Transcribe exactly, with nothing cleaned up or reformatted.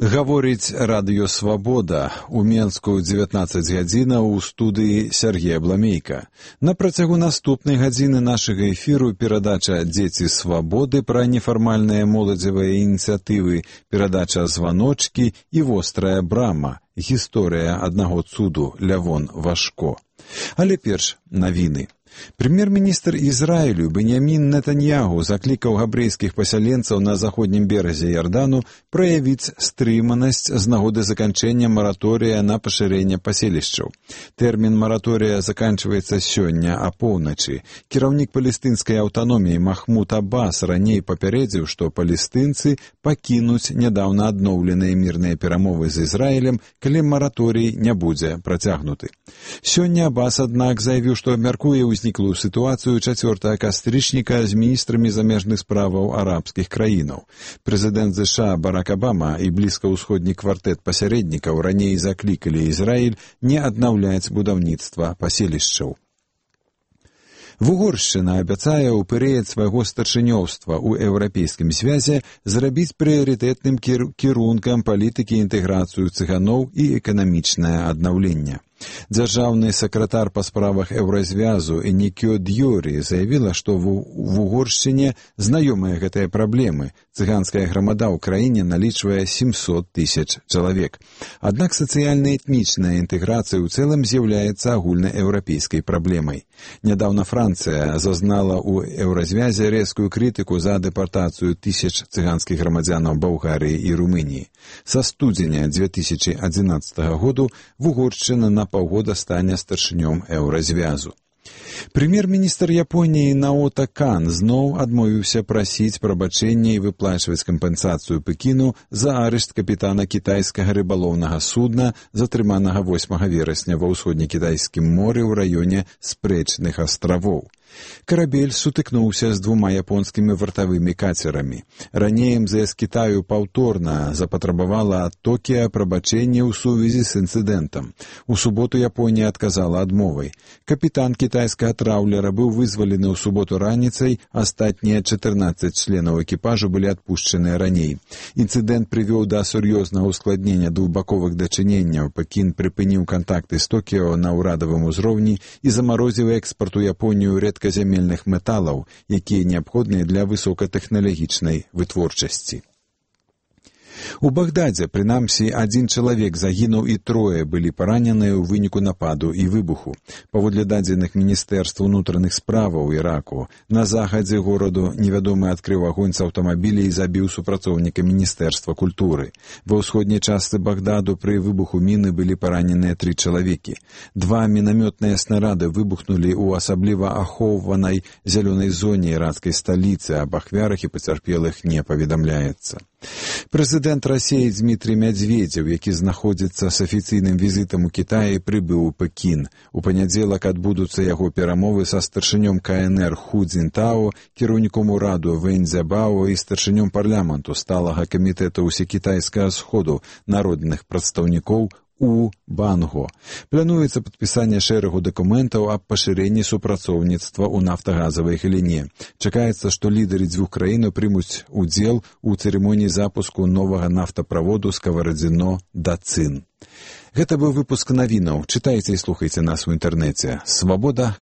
Гаворыць радыё «Свабода». У Менску дзевятнаццаць гадзінаў у студыі Сергея Бламейка. На працягу наступнай гадзіны нашага эфіру перадача «Дзеці свабоды» пра нефармальныя моладзевыя ініцыятывы, перадача «Званочкі» і «Вострая брама». Гісторыя аднаго цуду Лявон Вашко. Але перш навіны. Прэм'ер-міністр Ізраілю Беньямін Нетаньягу заклікаў габрэйскіх пасяленцаў на заходнім беразе Ярдану праявіць стрыманасць з нагоды заканчэння мараторыя на пашырэнне паселішчаў. Тэрмін мараторыя заканчваецца сёння апоўначы. Кіраўнік палестынскай аўтаноміі Махмуд Аббас раней папярэдзіў, што палестынцы пакінуць нядаўна адноўленыя мірныя перамовы з Ізраілем, калі мараторый не будзе працягнуты. Сёння Аббас, аднак, заявіў, што абмяркуе ўзніклую сітуацыю чацвёртага кастрычніка з міністрамі замежных справаў арабскіх краінаў. Прэзідэнт ЗША Барак Абама і блізкаўсходні квартэт пасярэднікаў раней заклікалі Ізраіль не аднаўляць будаўніцтва паселішчаў. Вугоршчына абяцае ў перыяд свайго старшынёўства ў Еўрапейскім звязе зрабіць прыярытэтным кір... кірункам палітыкі інтэграцыю цыганоў і эканамічнае аднаўленне. Дзяржаўны сакратар па справах Еўразвязу Энікё Дьёрі заявіла, што в Угоршчыне знаёмыя гэтыя праблемы. Цыганская грамада ў краіне налічвае сямьсот тысяч чалавек. Аднак сацыяльна-этнічная інтэграцыя ў цэлым з'яўляецца агульнаеўрапейскай праблемай. Нядаўна Францыя зазнала ў Еўразвязе рэзкую крытыку за дэпартацыю тысяч цыганскіх грамадзянаў Балгарыі і Румыніі. Са студзеня дзве тысячы адзінаццатага году Вугоршчына на паўгода стане старшынём Еўразвязу. Прэм'ер-міністр Японіі Наота Кан зноў адмовіўся прасіць прабачэння і выплачваць кампенсацыю Пекіну за арышт капітана кітайскага рыбалоўнага судна, затрыманага восьмага верасня ва ўсходнекітайскім моры ў раёне Спрэчных астравоў. Карабель сутыкнуўся з двума японскімі вартавымі кацерамі. Раней эм зэ эс Кітаю паўторна запатрабавала ад Токіа прабачэнне ў сувязі з інцыдэнтам. У суботу Японія адказала адмовай. Капітан кітайскага траўлера быў вызвалены ў суботу раніцай, астатнія чатырнаццаць членаў экіпажу былі адпушчаныя раней. Інцыдэнт прывёў да сур'ёзнага ускладнення двухбаковых дачыненняў. Пекін прыпыніў кантакты з Токіо на ўрадавым узроўні і замарозіў экспарт у Японію рэдказямельных металаў, якія неабходныя для высокатэхналагічнай вытворчасці. У Багдадзе, прынамсі, адзін чалавек загінуў і трое былі параненыя ў выніку нападу і выбуху. Паводле дадзеных Міністэрства ўнутраных справаў Іраку, на захадзе гораду невядомы адкрыў агонь з аўтамабіля і забіў супрацоўніка Міністэрства культуры. Ва ўсходняй частцы Багдаду пры выбуху міны былі параненыя тры чалавекі. Два мінамётныя снарады выбухнулі ў асабліва ахоўванай зялёнай зоне іракскай сталіцы, аб ахвярах і пацярпелых не паведамляецца. Прэзідэнт Расіі Дмітрый Мядзведзеў, які знаходзіцца з афіцыйным візітам у Кітаі, прыбыў у Пекін. У панядзелак адбудуцца яго перамовы са старшынём ка эн эр Ху Цзінтао, кіраўніком ураду Вэнь Цзябао і старшынём парламенту сталага камітэта ўсекітайскага сходу народных прадстаўнікоў у Банго. Плануецца падпісанне шэрагу дакументаў аб пашырэнні супрацоўніцтва ў нафтагазавай галіне. Чакаецца, што лідары дзвюх краінаў прымуць удзел у цырымоніі запуску новага нафтаправоду Скаварадзіно да Цын. Гэта быў выпуск навінаў. Чытайце і слухайце нас у інтэрнэце. свабода